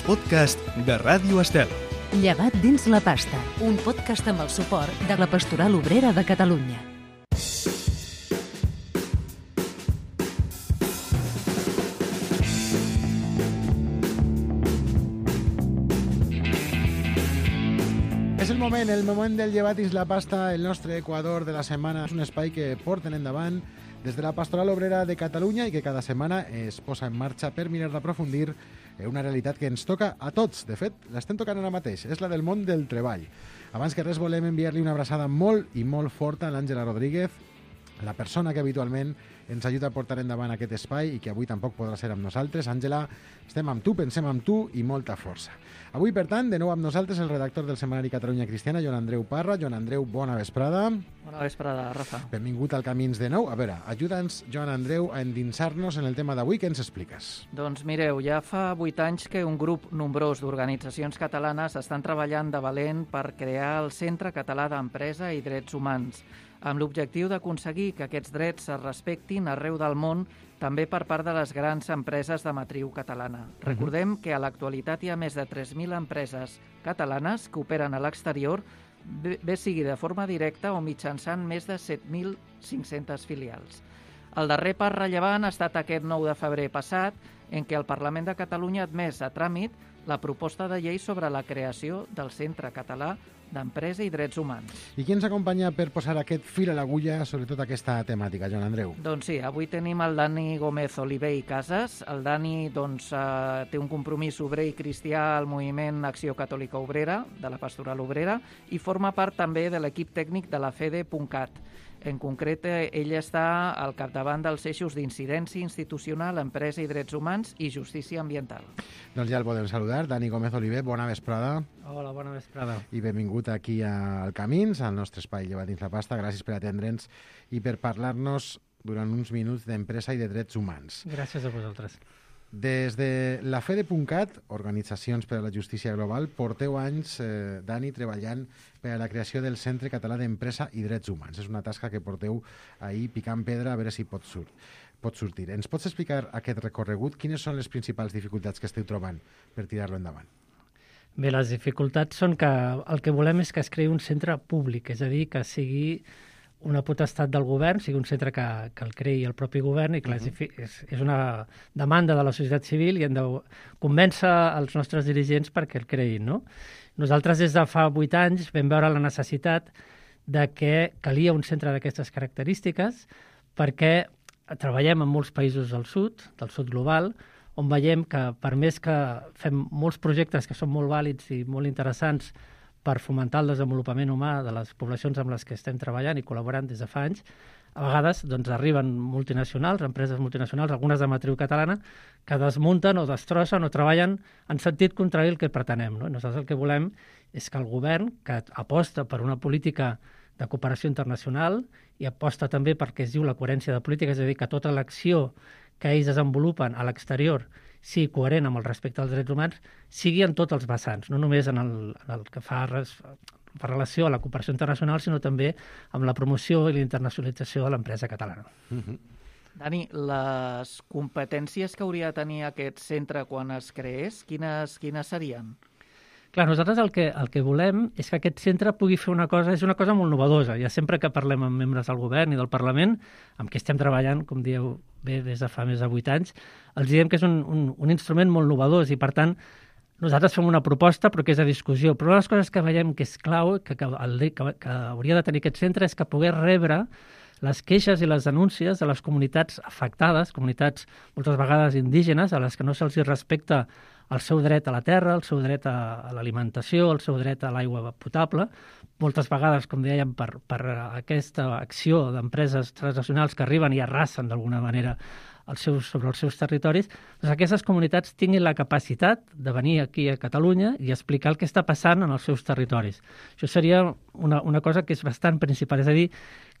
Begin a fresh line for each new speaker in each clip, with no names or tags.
podcast de Ràdio Estel.
Llevat dins la pasta, un podcast amb el suport de la Pastoral Obrera de Catalunya.
És el moment del llevat dins la pasta, el nostre Equador de la setmana. És un espai que porten endavant des de la Pastoral Obrera de Catalunya i que cada setmana es posa en marxa per mirar d'aprofundir una realitat que ens toca a tots. De fet, l'estem tocant ara mateix, és la del món del treball. Abans que res volem enviar-li una abraçada molt i molt forta a l'Àngela Rodríguez, la persona que habitualment ens ajuda a portar endavant aquest espai i que avui tampoc podrà ser amb nosaltres. Àngela, estem amb tu, pensem amb tu i molta força. Avui, per tant, de nou amb nosaltres el redactor del setmanari Catalunya Cristiana, Joan Andreu Parra. Joan Andreu, bona vesprada.
Bona vesprada, Rafa.
Benvingut al Camins de nou. A veure, ajuda'ns, Joan Andreu, a endinsar-nos en el tema d'avui. Què ens expliques?
Doncs mireu, ja fa 8 anys que un grup nombrós d'organitzacions catalanes estan treballant de valent per crear el Centre Català d'Empresa i Drets Humans, amb l'objectiu d'aconseguir que aquests drets es respectin arreu del món, també per part de les grans empreses de matriu catalana. Recordem que a l'actualitat hi ha més de 3.000 empreses catalanes que operen a l'exterior, bé sigui de forma directa o mitjançant més de 7.500 filials. El darrer pas rellevant ha estat aquest 9 de febrer passat, en què el Parlament de Catalunya ha admès a tràmit la proposta de llei sobre la creació del Centre Català d'Empresa i Drets Humans.
I qui ens acompanya per posar aquest fil a l'agulla sobre tota aquesta temàtica, Joan Andreu?
Doncs sí, avui tenim el Dani Gómez Oliver i Casas. El Dani té un compromís obrer i cristià al moviment Acció Catòlica Obrera, de la Pastoral Obrera, i forma part també de l'equip tècnic de la FEDE.cat. En concret, ell està al capdavant dels eixos d'incidència institucional, empresa i drets humans i justícia ambiental.
Doncs ja el podem saludar. Dani Gómez Oliver, bona vesprada.
Hola, bona vesprada.
I benvingut aquí al Camins, al nostre espai Llevat dins la pasta. Gràcies per atendre'ns i per parlar-nos durant uns minuts d'empresa i de drets humans.
Gràcies a vosaltres.
Des de la FEDE.cat, Organitzacions per a la Justícia Global, porteu anys, Dani, treballant per a la creació del Centre Català d'Empresa i Drets Humans. És una tasca que porteu ahir picant pedra a veure si pot sortir. Ens pots explicar aquest recorregut? Quines són les principals dificultats que esteu trobant per tirar-lo endavant?
Bé, les dificultats són que el que volem és que es creï un centre públic, és a dir, que sigui una potestat del govern, sigui un centre que el creï el propi govern i que és una demanda de la societat civil i hem de convèncer els nostres dirigents perquè el creïn, no? Nosaltres des de fa 8 anys vam veure la necessitat de que calia un centre d'aquestes característiques perquè treballem en molts països del sud global, on veiem que per més que fem molts projectes que són molt vàlids i molt interessants per fomentar el desenvolupament humà de les poblacions amb les que estem treballant i col·laborant des de fa anys, a vegades arriben multinacionals, empreses multinacionals, algunes de matriu catalana, que desmunten o destrossen o treballen en sentit contrari al que pretenem, no? Nosaltres el que volem és que el govern, que aposta per una política de cooperació internacional i aposta també perquè es diu la coherència de política, és a dir, que tota l'acció que ells desenvolupen a l'exterior sigui coherent amb el respecte als drets humans, sigui en tots els vessants, no només en el que fa relació a la cooperació internacional, sinó també amb la promoció i la internacionalització de l'empresa catalana.
Dani, les competències que hauria de tenir aquest centre quan es creés, quines serien?
Clar, nosaltres el que volem és que aquest centre pugui fer una cosa molt novedosa. Ja sempre que parlem amb membres del govern i del Parlament, amb qui estem treballant, com dieu bé, des de fa més de 8 anys, els diem que és un instrument molt novedós i, per tant, nosaltres fem una proposta però que és a discussió. Però una de les coses que veiem que és clau, que hauria de tenir aquest centre, és que pogués rebre les queixes i les denúncies de les comunitats afectades, comunitats moltes vegades indígenes, a les que no se'ls respecta el seu dret a la terra, el seu dret a l'alimentació, el seu dret a l'aigua potable. Moltes vegades, com dèiem, per aquesta acció d'empreses transnacionals que arriben i arrasen d'alguna manera sobre els seus territoris, doncs aquestes comunitats tinguin la capacitat de venir aquí a Catalunya i explicar el que està passant en els seus territoris. Això seria una cosa que és bastant principal, és a dir,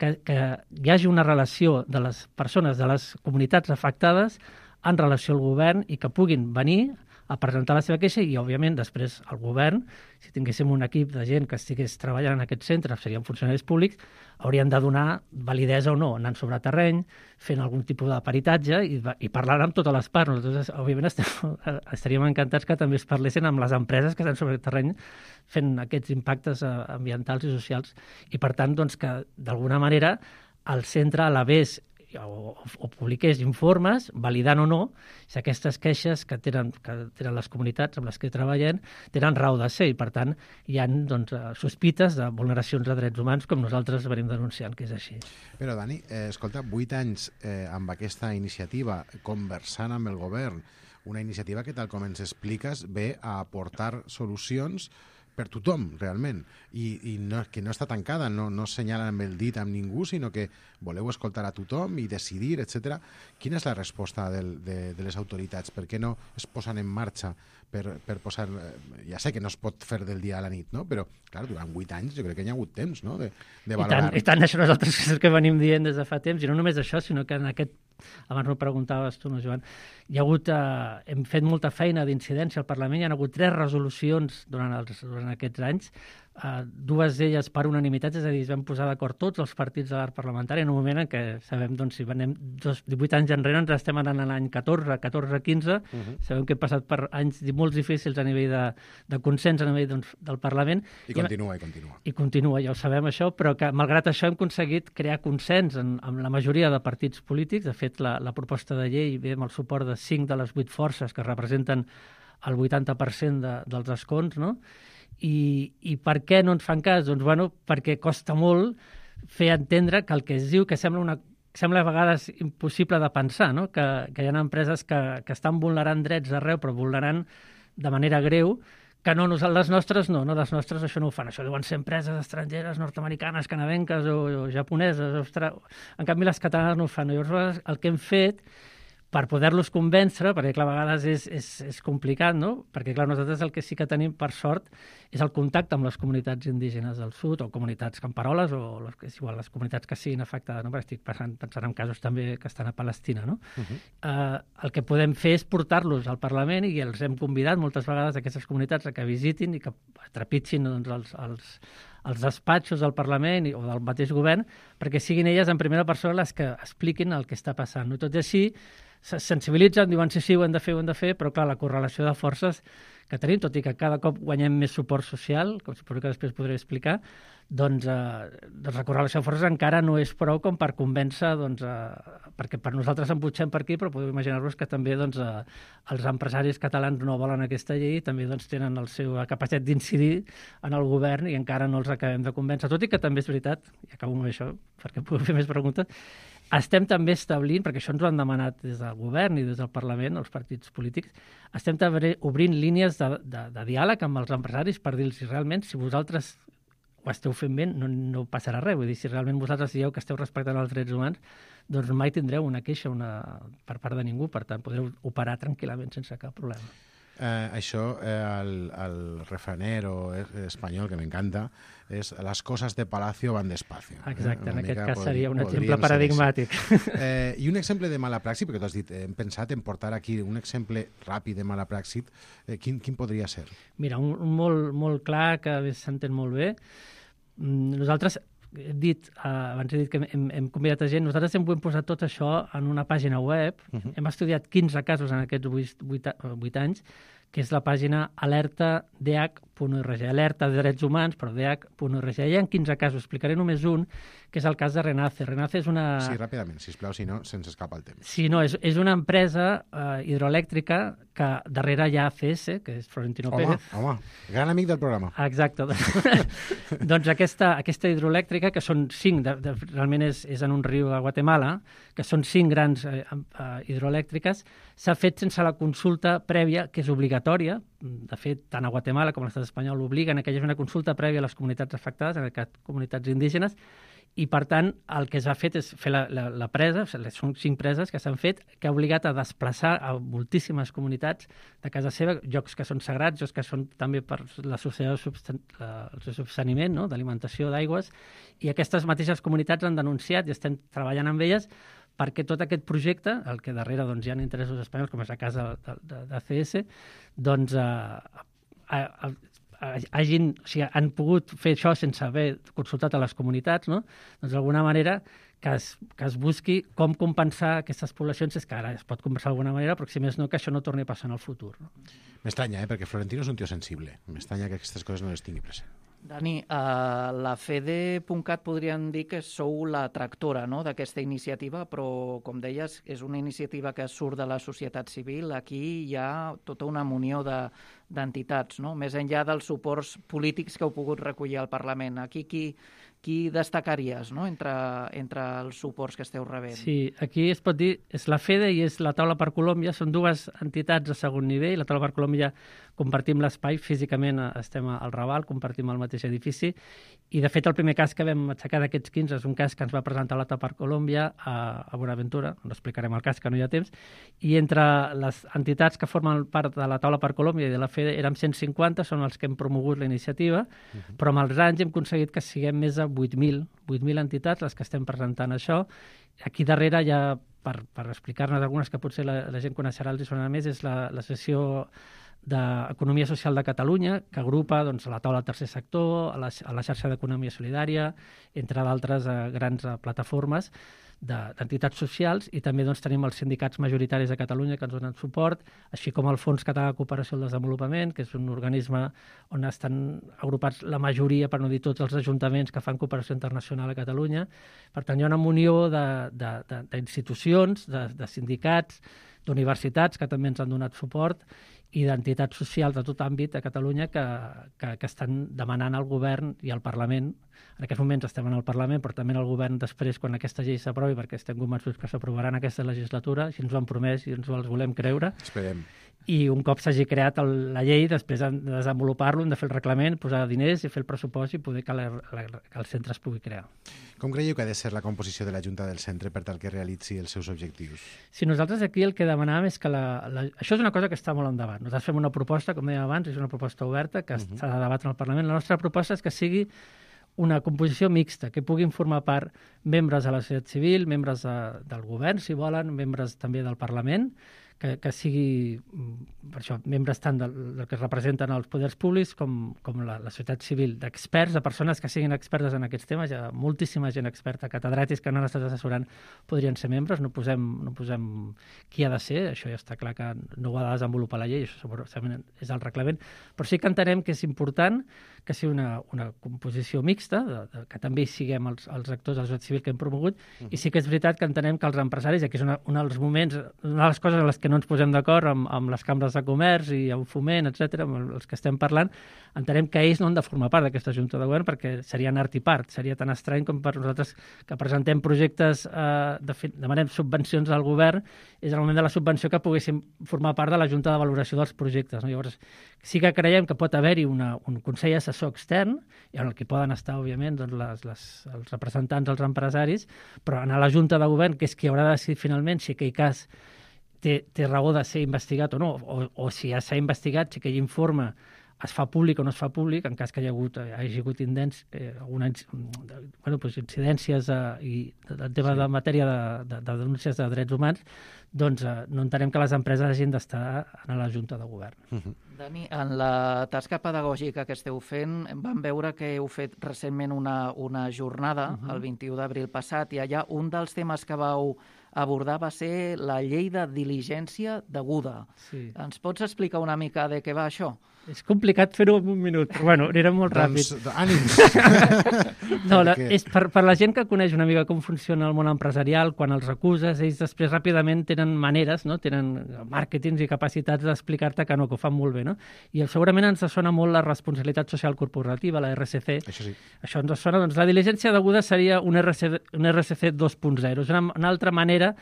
que hi hagi una relació de les persones, de les comunitats afectades en relació al govern i que puguin venir a presentar la seva queixa i, òbviament, després el govern, si tinguéssim un equip de gent que estigués treballant en aquest centre, serien funcionaris públics, haurien de donar validesa o no, anant sobre terreny, fent algun tipus de peritatge i parlant amb totes les parts. Nosaltres, òbviament, estaríem encantats que també es parlessin amb les empreses que estan sobre terreny fent aquests impactes ambientals i socials. I, per tant, doncs, que d'alguna manera el centre elevés o publiqués informes, validant o no, si aquestes queixes que tenen les comunitats amb les que treballen tenen raó de ser i, per tant, hi ha sospites de vulneracions de drets humans com nosaltres venim denunciant, que és així.
Però, Dani, escolta, 8 anys amb aquesta iniciativa, conversant amb el govern, una iniciativa que, tal com ens expliques, ve a aportar solucions per tothom, realment, i no, que no està tancada, no assenyala amb el dit amb ningú, sinó que voleu escoltar a tothom i decidir, etc. Quina és la resposta de les autoritats? Per què no es posen en marxa per posar... Ja sé que no es pot fer del dia a la nit, no? Però, clar, durant 8 anys jo crec que hi ha hagut temps, no?, de valorar.
I tant, això nosaltres és el que venim dient des de fa temps, i no només això, sinó que en aquest... Abans m'ho preguntaves tu, no, Joan? Hi ha hagut... hem fet molta feina d'incidència al Parlament, hi ha hagut 3 resolucions durant aquests anys, 2 d'elles per unanimitat, és a dir, es van posar d'acord tots els partits de l'arc parlamentari en un moment en què sabem, doncs, si anem 18 anys enrere, ens estem anant a l'any 14-15, sabem que hem passat per anys molt difícils a nivell de consens a nivell del Parlament.
I continua.
I continua, ja ho sabem això, però que malgrat això hem aconseguit crear consens amb la majoria de partits polítics. De fet, la proposta de llei ve amb el suport de 5 de les 8 forces que representen el 80% dels escons, no? I per què no ens fan cas? Doncs, bueno, perquè costa molt fer entendre que el que es diu que sembla a vegades impossible de pensar, no? Que hi ha empreses que estan vulnerant drets arreu, però vulnerant de manera greu, que no, les nostres no, les nostres això no ho fan. Això deuen ser empreses estrangeres, nord-americanes, canadenques o japoneses, en canvi les catalanes no ho fan. Llavors el que hem fet per poder-los convèncer, perquè clar, a vegades és complicat, no? Perquè clar, nosaltres el que sí que tenim, per sort, és el contacte amb les comunitats indígenes del sud, o comunitats camperoles, o les comunitats que siguin afectades, no? Perquè estic pensant en casos també que estan a Palestina, no? El que podem fer és portar-los al Parlament, i els hem convidat moltes vegades a aquestes comunitats a que visitin i que trepitgin els despatxos del Parlament o del mateix govern, perquè siguin elles en primera persona les que expliquin el que està passant. No? Tot i així, se sensibilitzen, diuen sí, ho hem de fer, però clar, la correlació de forces que tenim, tot i que cada cop guanyem més suport social, com suposo que després podré explicar, doncs la correlació de forces encara no és prou com per convèncer, perquè per nosaltres en putxem per aquí, però podeu imaginar-vos que també els empresaris catalans no volen aquesta llei i també tenen la seva capacitat d'incidir en el govern i encara no els acabem de convèncer. Tot i que també és veritat, i acabo amb això perquè puc fer més preguntes, estem també establint, perquè això ens ho han demanat des del govern i des del Parlament, els partits polítics, estem també obrint línies de diàleg amb els empresaris per dir-los realment, si vosaltres ho esteu fent bé, no passarà res. Vull dir, si realment vosaltres dieu que esteu respectant els drets humans, doncs mai tindreu una queixa per part de ningú, per tant, podreu operar tranquil·lament sense cap problema.
Això, el refranero espanyol, que m'encanta, és las cosas de palacio van despacio.
Exacte, en aquest cas seria un exemple paradigmàtic.
I un exemple de mala praxi, perquè tu has dit, hem pensat en portar aquí un exemple ràpid de mala praxi, quin podria ser?
Mira, un molt clar, que s'entén molt bé. Nosaltres abans he dit que hem convidat a gent, nosaltres hem posat tot això en una pàgina web, hem estudiat 15 casos en aquests 8 anys, que és la pàgina alertadh.org, alerta de drets humans, però dh.org. Hi ha 15 casos, explicaré només un, que és el cas de Renace. Renace és una...
Sí, ràpidament, sisplau, si no, se'ns escapa el temps.
Sí, no, és una empresa hidroelèctrica que darrere hi ha ACS, que és Florentino Pérez.
Home, gran amic del programa.
Exacte. Doncs aquesta hidroelèctrica, que són 5, realment és en un riu a Guatemala, que són 5 grans hidroelèctriques, s'ha fet sense la consulta prèvia, que és obligatòria. De fet, tant a Guatemala com a l'estat espanyol l'obliguen que hi hagi una consulta prèvia a les comunitats afectades, en aquest cas comunitats indígenes, i per tant el que s'ha fet és fer la presa, són 5 preses que s'han fet, que ha obligat a desplaçar a moltíssimes comunitats de casa seva, llocs que són sagrats, llocs que són també per la societat de subsaniment, no? D'alimentació d'aigües, i aquestes mateixes comunitats han denunciat i estem treballant amb elles perquè tot aquest projecte, el que darrere doncs, hi ha interessos espanyols, com és el cas d'ACS, doncs han pogut fer això sense haver consultat a les comunitats, no? Doncs d'alguna manera que es busqui com compensar aquestes poblacions, és que ara es pot compensar d'alguna manera, però si més no, que això no torni a passar en el futur. No?
M'estranya, perquè Florentino és un tio sensible. M'estranya que aquestes coses no les tingui present.
Dani, a la FEDE.cat podríem dir que sou la tractora, no?, d'aquesta iniciativa, però, com deies, és una iniciativa que surt de la societat civil. Aquí hi ha tota una munió d'entitats, no?, més enllà dels suports polítics que heu pogut recollir al Parlament. Aquí qui destacaries, no?, entre els suports que esteu rebent?
Sí, aquí es pot dir, és la FEDE i és la Taula per Colòmbia, són dues entitats de segon nivell. La Taula per Colòmbia compartim l'espai, físicament estem al Raval, compartim el mateix edifici, i de fet el primer cas que vam aixecar d'aquests 15 és un cas que ens va presentar la Taula per Colòmbia a Bonaventura, no explicarem el cas, que no hi ha temps, i entre les entitats que formen part de la Taula per Colòmbia i de la FEDE érem 150, són els que hem promogut la iniciativa, però amb els anys hem aconseguit que siguem més de 8.000 entitats les que estem presentant això. Aquí darrere hi ha, per explicar-nos algunes que potser la gent coneixerà, els hi sonarà més, és l'associació d'Economia Social de Catalunya, que agrupa doncs, la taula del tercer sector, a la xarxa d'Economia Solidària, entre d'altres grans plataformes d'entitats socials, i també doncs, tenim els sindicats majoritaris de Catalunya que ens donen suport, així com el Fons Català de Cooperació al Desenvolupament, que és un organisme on estan agrupats la majoria, per no dir tots, els ajuntaments que fan cooperació internacional a Catalunya. Per tant, hi ha una munió d'institucions, de sindicats, d'universitats que també ens han donat suport, i d'entitats socials de tot àmbit a Catalunya que estan demanant al govern i al Parlament. En aquests moments estem en el Parlament, però també en el govern després, quan aquesta llei s'aprovi, perquè estem convençuts que s'aprovarà en aquesta legislatura, si ens ho han promès i ens ho els volem creure.
Esperem.
I un cop s'hagi creat la llei, després de desenvolupar-lo, hem de fer el reglament, posar diners i fer el pressupost i poder que el centre es pugui crear.
Com creieu que ha de ser la composició de la Junta del Centre per tal que realitzi els seus objectius?
Si nosaltres aquí el que demanàvem és que això és una cosa que està molt endavant. Nosaltres fem una proposta, com dèiem abans, és una proposta oberta que s'ha de debatre al Parlament. La nostra proposta és que sigui una composició mixta, que puguin formar part membres de la societat civil, membres del govern, si volen, membres també del Parlament, que sigui, per això, membres tant del que representen els poders públics com la societat civil, d'experts, de persones que siguin expertes en aquests temes. Hi ha moltíssima gent experta, catedràtics que no han estat assessorant, podrien ser membres, no posem qui ha de ser, això ja està clar que no ho ha de desenvolupar la llei, això segurament és el reglament, però sí que entenem que és important que sigui una composició mixta, que també hi siguem els actors de la societat civil que hem promogut, i sí que és veritat que entenem que els empresaris, i aquí és un dels moments, una de les coses en les que no ens posem d'acord amb les cambres de comerç i amb Foment, etc., amb els que estem parlant, entenem que ells no han de formar part d'aquesta Junta de Govern perquè serien art i part, seria tan estrany com per nosaltres que presentem projectes, demanem subvencions al govern, és el moment de la subvenció que poguéssim formar part de la Junta de Valoració dels projectes. No? Llavors, sí que creiem que pot haver-hi un Consell Assessor extern, i en el que poden estar, òbviament, doncs, els representants dels empresaris, però en la Junta de Govern, que és qui haurà de decidir finalment si aquell cas té raó de ser investigat o no, o si ja s'ha investigat, si aquell informe es fa públic o no es fa públic, en cas que hagi hagut incidències i el tema de matèria de denúncies de drets humans, doncs no entenem que les empreses hagin d'estar en la Junta de Govern.
Dani, en la tasca pedagògica que esteu fent, vam veure que heu fet recentment una jornada, el 21 d'abril passat, i allà un dels temes que vau abordar va ser la llei de diligència deguda.
Sí.
Ens pots explicar una mica de què va això?
És complicat fer-ho en un minut, però bueno, anirem molt ràpid.
Ànims!
No, és per la gent que coneix una mica com funciona el món empresarial, quan els acuses, ells després ràpidament tenen maneres, no? Tenen màrquetings i capacitats d'explicar-te que no, que ho fan molt bé, no? I segurament ens sona molt la responsabilitat social corporativa, la RSC.
Això sí.
Això ens sona, doncs la diligència deguda seria un RSC 2.0. És una altra manera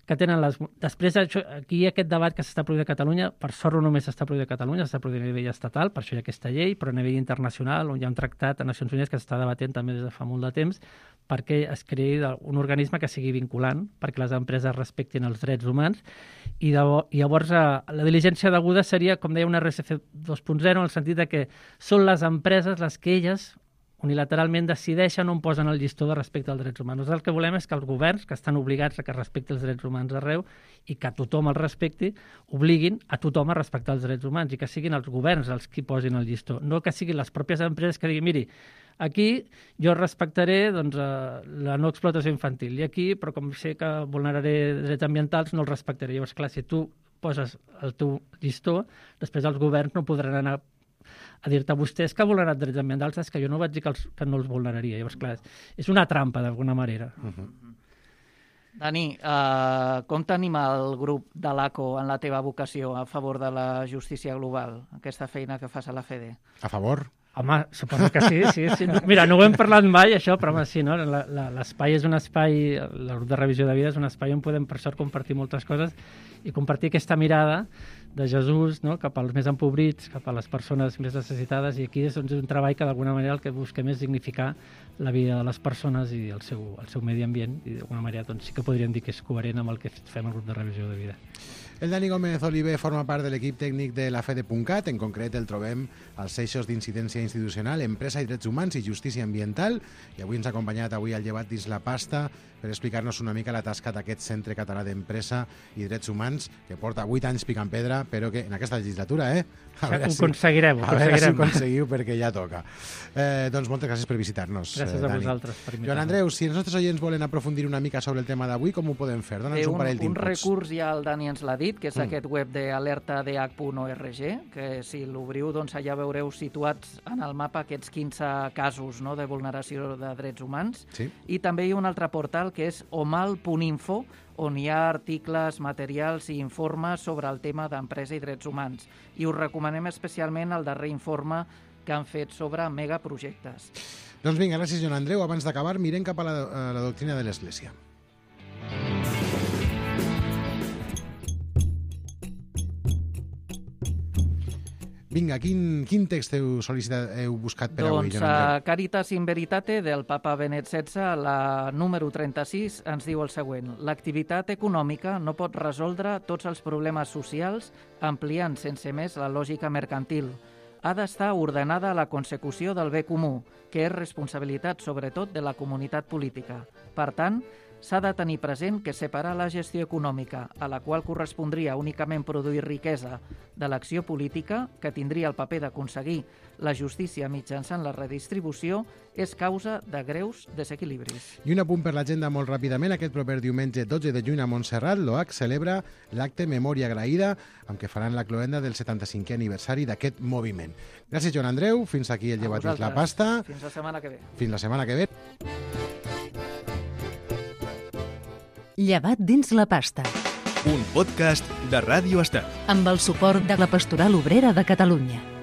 que tenen Després, aquí hi ha aquest debat que s'està produint a Catalunya, per sort no només s'està produint a Catalunya, s'està produint a nivell estatal, per això hi ha aquesta llei, però a nivell internacional, on hi ha un tractat a Nacions Unides que s'està debatent també des de fa molt de temps, perquè es creï un organisme que sigui vinculant, perquè les empreses respectin els drets humans, i llavors la diligència deguda seria, com deia, una RSC 2.0, en el sentit de que són les empreses les que elles unilateralment decideixen on posen el llistó de respecte als drets humans. Nosaltres el que volem és que els governs, que estan obligats a que respectin els drets humans arreu i que tothom els respecti, obliguin a tothom a respectar els drets humans i que siguin els governs els qui posin el llistó, no que siguin les pròpies empreses que diguin, miri, aquí jo respectaré doncs, la no explotació infantil i aquí, però com sé que vulneraré drets ambientals, no els respectaré. Llavors, clar, si tu poses el teu llistó, després els governs no podran anar a dir-te a vostès que ha vulnerat drets ambientals, és que jo no vaig dir que no els vulneraria. Llavors, clar, és una trampa, d'alguna manera.
Dani, com tenim el grup de l'ACO en la teva vocació a favor de la justícia global, aquesta feina que fas a la FEDE?
A favor?
Home, suposo que sí. Mira, no ho hem parlat mai, això, però home, sí, no? L'espai és un espai, el grup de revisió de vida és un espai on podem, per sort, compartir moltes coses i compartir aquesta mirada de Jesús, no?, cap als més empobrits, cap a les persones més necessitades, i aquí és un treball que d'alguna manera el que busquem és dignificar la vida de les persones i el seu medi ambient, i d'alguna manera doncs, sí que podríem dir que és coherent amb el que fem al grup de revisió de vida.
El Dani Gómez Oliver forma part de l'equip tècnic de la FEDE.cat, en concret el trobem als eixos d'incidència institucional, empresa i drets humans i justícia ambiental, i avui ens ha acompanyat al llevat dins la pasta per explicar-nos una mica la tasca d'aquest Centre Català d'Empresa i Drets Humans, que porta 8 anys picant pedra, però que en aquesta legislatura,
ho aconseguirem.
A veure si ho aconseguiu, perquè ja toca. Doncs moltes gràcies per visitar-nos,
Gràcies a
Dani.
vosaltres per invitar-nos.
Joan Andreu, si els nostres oients volen aprofundir una mica sobre el tema d'avui, com ho podem fer? Dóna'ns un parell d'inputs.
Un recurs ja el Dani ens l'ha dit, que és aquest web d'alertadh.org, que si l'obriu, doncs allà veureu situats en el mapa aquests 15 casos, no?, de vulneració de drets humans.
Sí.
I també hi ha un altre portal que és omal.info, on hi ha articles, materials i informes sobre el tema d'empresa i drets humans. I us recomanem especialment el darrer informe que han fet sobre megaprojectes.
Doncs vinga, gràcies, Joan Andreu. Abans d'acabar, mirem cap a la doctrina de l'Església. Vinga, quin text heu buscat per avui, Joan Andreu?
Caritas in Veritate, del papa Benet XVI, la número 36, ens diu el següent. L'activitat econòmica no pot resoldre tots els problemes socials ampliant sense més la lògica mercantil. Ha d'estar ordenada a la consecució del bé comú, que és responsabilitat sobretot de la comunitat política. Per tant, s'ha de tenir present que separar la gestió econòmica, a la qual correspondria únicament produir riquesa, de l'acció política, que tindria el paper d'aconseguir la justícia mitjançant la redistribució, és causa de greus desequilibris.
I un apunt per l'agenda molt ràpidament. Aquest proper diumenge 12 de juny a Montserrat, l'OAC celebra l'acte Memòria Agraïda, amb què faran la cloenda del 75è aniversari d'aquest moviment. Gràcies, Joan Andreu. Fins aquí el llevat dins la pasta.
Fins la setmana que ve.
Fins la setmana que ve.
Llevat dins la pasta.
Un podcast de Ràdio Estel.
Amb el suport de la Pastoral Obrera de Catalunya.